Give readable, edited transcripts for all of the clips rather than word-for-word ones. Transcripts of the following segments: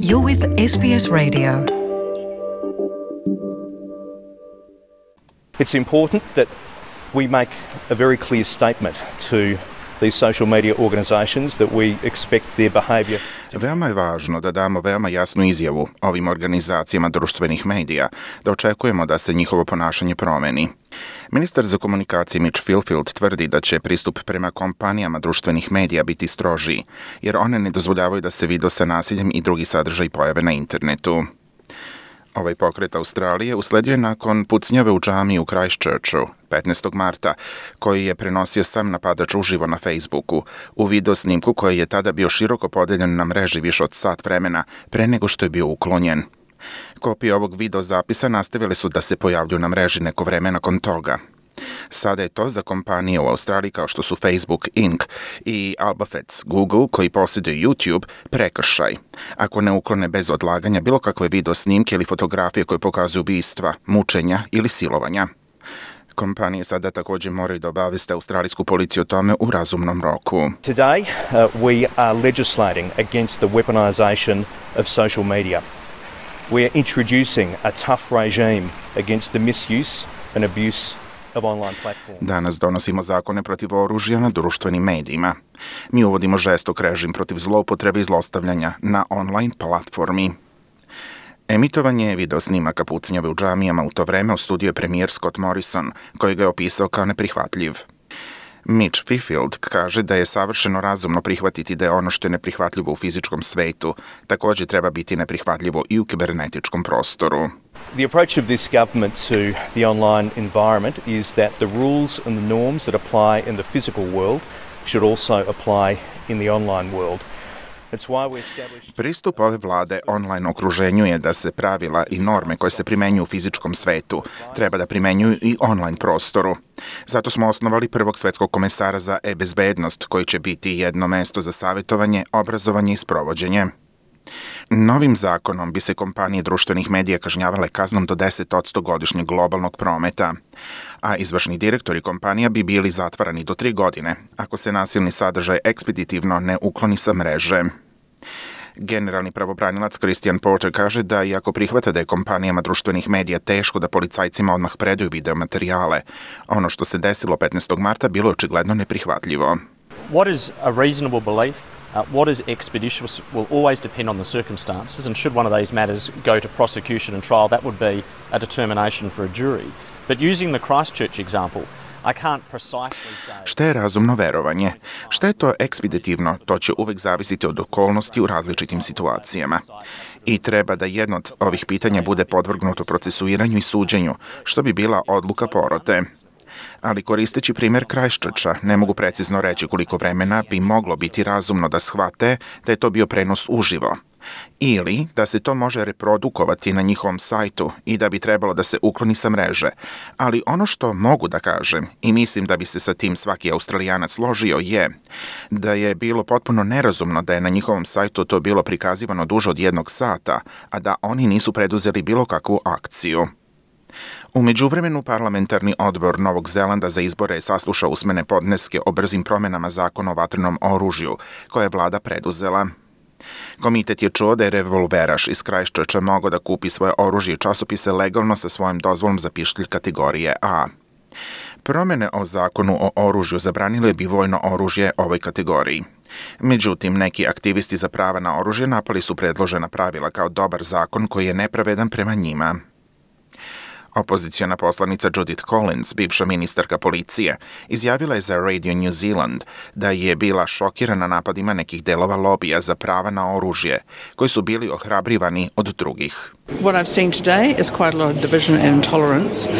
You're with SBS Radio. It's important that we make a very clear statement to these social media organisations that we expect their behaviour. Veoma je važno da damo veoma jasnu izjavu ovim organizacijama društvenih medija, da očekujemo da se njihovo ponašanje promeni. Ministar za komunikacije Mitch Fifield tvrdi da će pristup prema kompanijama društvenih medija biti strožiji, jer one ne dozvoljavaju da se video sa nasiljem i drugi sadržaj pojave na internetu. Ovaj pokret Australije usledio je nakon pucnjave u džamiji u Christchurchu 15. marta, koji je prenosio sam napadač uživo na Facebooku, u video snimku koji je tada bio široko podeljen na mreži više od sat vremena pre nego što je bio uklonjen. Kopije ovog video zapisa nastavile su da se pojavljuju na mreži neko vreme nakon toga. Sada je to za kompanije u Australiji kao što su Facebook Inc. i Alphabet Google, koji posjeduju YouTube, prekršaj, ako ne uklone bez odlaganja bilo kakve video snimke ili fotografije koje pokazuju ubistva, mučenja ili silovanja. Kompanije sada također moraju da obaveste australijsku policiju o tome u razumnom roku. Today we are legislating against the weaponisation of social media. We are introducing a tough regime against the misuse and abuse of online platforms. Danas donosimo zakone protiv oružja na društvenim medijima. Mi uvodimo žestok režim protiv zloupotrebe i zlostavljanja na online platformi. Emitovanje video snimaka pucnjave u džamijama u to vreme osudio je premijer Scott Morrison, koji ga je opisao kao neprihvatljiv. Mitch Fifield kaže da je savršeno razumno prihvatiti da je ono što je neprihvatljivo u fizičkom svetu također treba biti neprihvatljivo i u kibernetičkom prostoru. The approach of this government to the online environment is that the rules and the norms that apply in the physical world should also apply in the online world. Pristup ove vlade online okruženju je da se pravila i norme koje se primenjuju u fizičkom svetu treba da primenjuju i online prostoru. Zato smo osnovali prvog svetskog komesara za e-bezbednost, koji će biti jedno mesto za savjetovanje, obrazovanje i sprovođenje. Novim zakonom bi se kompanije društvenih medija kažnjavale kaznom do 10% godišnjeg globalnog prometa, a izvršni direktori kompanija bi bili zatvarani do 3 godine ako se nasilni sadržaj ekspeditivno ne ukloni sa mreže. Generalni pravobranilac Christian Porter kaže da iako prihvata da je kompanijama društvenih medija teško da policajcima odmah predaju videomaterijale, ono što se desilo 15. marta bilo je očigledno neprihvatljivo. What is a reasonable belief? What is expeditious will always depend on the circumstances, and should one of these matters go to prosecution and trial, that would be a determination for a jury. But using the Christchurch example, I can't precisely say... Šta je razumno verovanje? Šta je to ekspeditivno? To će uvek zavisiti od okolnosti u različitim situacijama. I treba da jedno od ovih pitanja bude podvrgnuto procesuiranju i suđenju, što bi bila odluka porote. Ali koristeći primjer Christchurcha, ne mogu precizno reći koliko vremena bi moglo biti razumno da shvate da je to bio prenos uživo. Ili da se to može reprodukovati na njihovom sajtu i da bi trebalo da se ukloni sa mreže. Ali ono što mogu da kažem, i mislim da bi se sa tim svaki Australijanac složio, je da je bilo potpuno nerazumno da je na njihovom sajtu to bilo prikazivano duže od 1 sata, a da oni nisu preduzeli bilo kakvu akciju. U međuvremenu, parlamentarni odbor Novog Zelanda za izbore je saslušao usmene podneske o brzim promenama zakona o vatrenom oružju, koje je vlada preduzela. Komitet je čuo da je revolveraš iz Christchurcha mogao da kupi svoje oružje i časopise legalno sa svojom dozvolom za pištolj kategorije A. Promene o zakonu o oružju zabranile bi vojno oružje ovoj kategoriji. Međutim, neki aktivisti za prava na oružje napali su predložena pravila kao dobar zakon koji je nepravedan prema njima. Opoziciona poslanica Judith Collins, bivša ministarka policije, izjavila je za Radio New Zealand da je bila šokirana napadima nekih delova lobija za prava na oružje, koji su bili ohrabrivani od drugih. What I've seen today is quite a lot of division and intolerance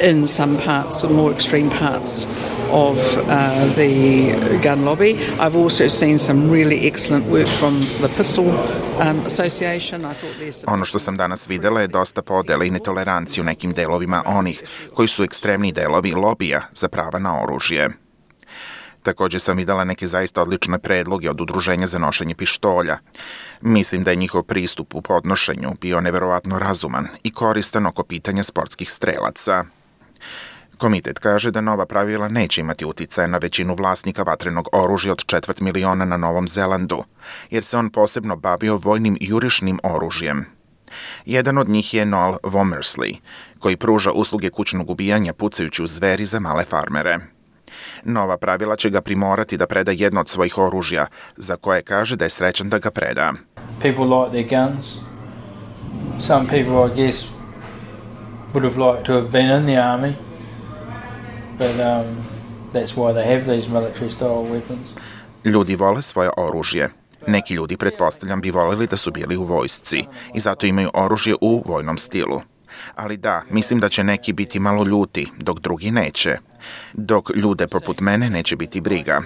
in some parts, or more extreme parts of the gun lobby. I've also seen some really excellent work from the Pistol Association. Ono što sam danas videla je dosta podela i netolerancije u nekim delovima onih koji su ekstremni delovi lobija za prava na oružje. Također sam videla neke zaista odlične predloge od udruženja za nošenje pištolja. Mislim da je njihov pristup u podnošenju bio neverovatno razuman i koristan oko pitanja sportskih strelaca. Komitet kaže da nova pravila neće imati uticaja na većinu vlasnika vatrenog oružja od 250.000 na Novom Zelandu, jer se on posebno bavio vojnim jurišnim oružjem. Jedan od njih je Noel Womersley, koji pruža usluge kućnog ubijanja pucajući u zveri za male farmere. Nova pravila će ga primorati da preda jedno od svojih oružja, za koje kaže da je srećan da ga preda. People like their guns. Some people, I guess, would have liked to have been in the army, but that's why they have these military style weapons. Ljudi vole svoje oružje. Neki ljudi, pretpostavljam, bi voljeli da su bili u vojsci i zato imaju oružje u vojnom stilu. Ali da, mislim da će neki biti malo ljuti, dok drugi neće. Dok ljude poput mene neće biti briga.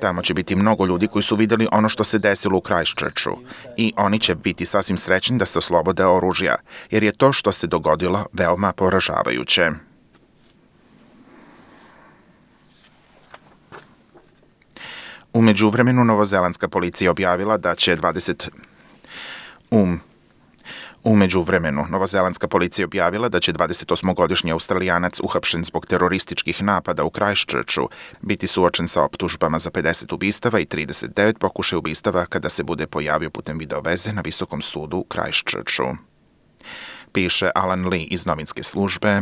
Tamo će biti mnogo ljudi koji su vidjeli ono što se desilo u Christchurchu i oni će biti sasvim srećni da se oslobode oružja, jer je to što se dogodilo veoma poražavajuće. U međuvremenu novozelandska policija objavila da će 28-godišnji Australijanac uhapšen zbog terorističkih napada u Christchurchu biti suočen sa optužbama za 50 ubistava i 39 pokušaja ubistava kada se bude pojavio putem videoveze na Visokom sudu u Christchurchu. Piše Alan Lee iz novinske službe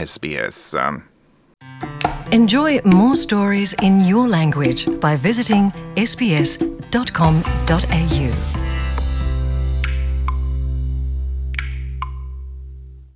SBS. Enjoy more stories in your language by visiting sbs.com.au.